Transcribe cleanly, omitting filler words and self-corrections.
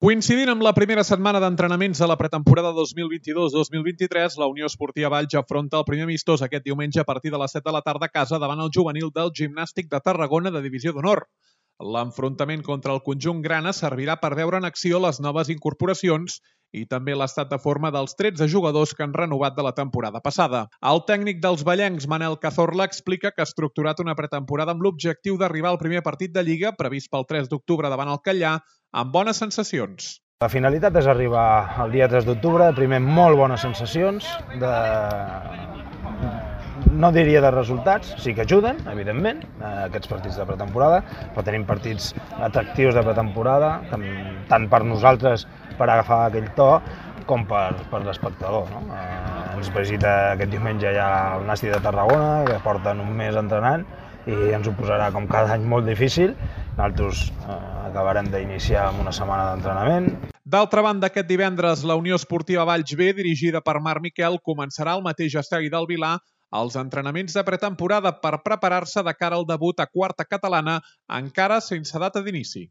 Coincidint amb la primera setmana d'entrenaments de la pretemporada 2022-2023, la Unió Esportiva Valls afronta el primer amistós aquest diumenge a partir de les 7 de la tarda a casa davant el juvenil del Gimnàstic de Tarragona de Divisió d'Honor. L'enfrontament contra el conjunt grana servirà per veure en acció les noves incorporacions i també l'estat de forma dels 13 jugadors que han renovat de la temporada passada. El tècnic dels vallencs, Manel Cazorla, explica que ha estructurat una pretemporada amb l'objectiu d'arribar al primer partit de Lliga, previst pel 3 d'octubre davant el Catllar, amb bones sensacions. La finalitat és arribar el dia 3 d'octubre, primer molt bones sensacions, no diria de resultats, sí que ajuden, evidentment, aquests partits de pretemporada, però tenim partits atractius de pretemporada, tant per nosaltres per agafar aquell to, com per l'espectador. Ens visita aquest diumenge ja el Nàstic de Tarragona, que porten un mes entrenant, i ens ho posarà com cada any molt difícil. Nosaltres acabarem d'iniciar amb una setmana d'entrenament. D'altra banda, aquest divendres, la Unió Esportiva Valls B, dirigida per Marc Miquel, començarà al mateix estadi del Vilar els entrenaments de pretemporada per preparar-se de cara al debut a quarta catalana, encara sense data d'inici.